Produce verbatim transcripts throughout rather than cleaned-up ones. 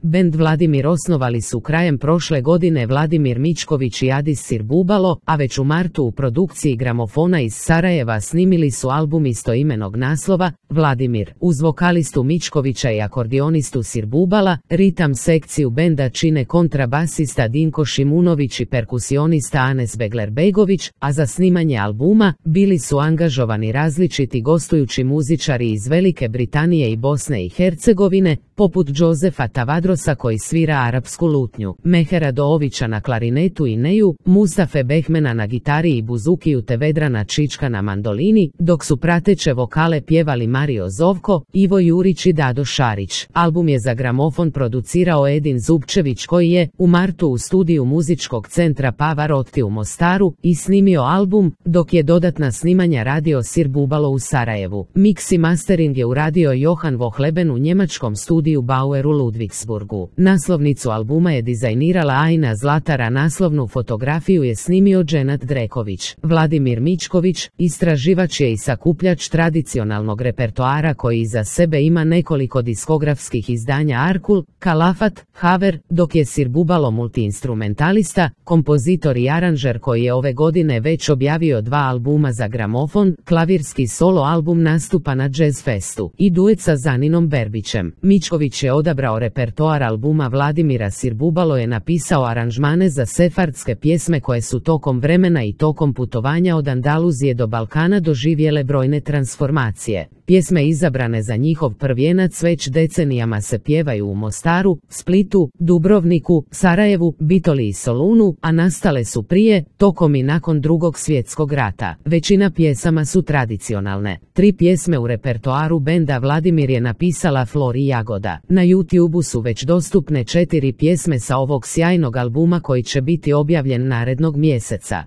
bend Vladimir osnovali su krajem prošle godine Vladimir Mičković i Adis Sirbubalo, a već u martu u produkciji Gramofona iz Sarajeva snimili su album istoimenog naslova. Vladimir, uz vokalistu Mičkovića i akordionistu Sirbubala, ritam sekciju benda čine kontrabasista Dinko Šimunović i perkusionista Anes Begler-Begović, a za snimanje albuma bili su angažovani različiti gostujući muzičari iz Velike Britanije i Bosne i Hercegovine, poput Josefa Tavadrosa koji svira arapsku lutnju, Mehera Doovića na klarinetu i neju, Mustafe Behmena na gitari i buzukiju te Vedrana Čička na mandolini, dok su prateće vokale pjevali Mario Zovko, Ivo Jurić i Dado Šarić. Album je za gramofon producirao Edin Zubčević koji je u martu u studiju muzičkog centra Pavarotti u Mostaru i snimio album, dok je dodatna snimanja radio Sirbubalo u Sarajevu. Mix i mastering je uradio Johan Vohleben u njemačkom studiju Bauer u Ludwigsburgu. Naslovnicu albuma je dizajnirala Ajna Zlatara, naslovnu fotografiju je snimio Dženat Dreković. Vladimir Mičković, istraživač je i sakupljač tradicionalnog repertoara koji iza sebe ima nekoliko diskografskih izdanja Arkul, Kalafat, Haver, dok je Sirbubalo multiinstrumentalista, kompozitor i aranžer koji je ove godine već objavio dva albuma za gramofon, klavirski solo album nastupa na Jazz Festu i duet sa Zaninom Berbićem. Mičković je odabrao repertoar albuma Vladimira, Sirbubalo je napisao aranžmane za sefardske pjesme koje su tokom vremena i tokom putovanja od Andaluzije do Balkana doživjele brojne transformacije. Pjesme izabrane za njihov prvijenac već decenijama se pjevaju u Mostaru, Splitu, Dubrovniku, Sarajevu, Bitoli i Solunu, a nastale su prije, tokom i nakon Drugog svjetskog rata. Većina pjesama su tradicionalne. Tri pjesme u repertoaru benda Vladimir je napisala Flori Jagoda. Na YouTubeu su već dostupne četiri pjesme sa ovog sjajnog albuma koji će biti objavljen narednog mjeseca.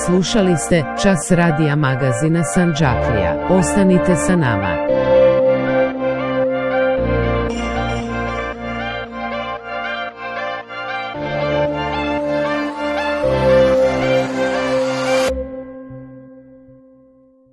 Slušali ste Čas radija magazina Sandžaklija. Ostanite sa nama.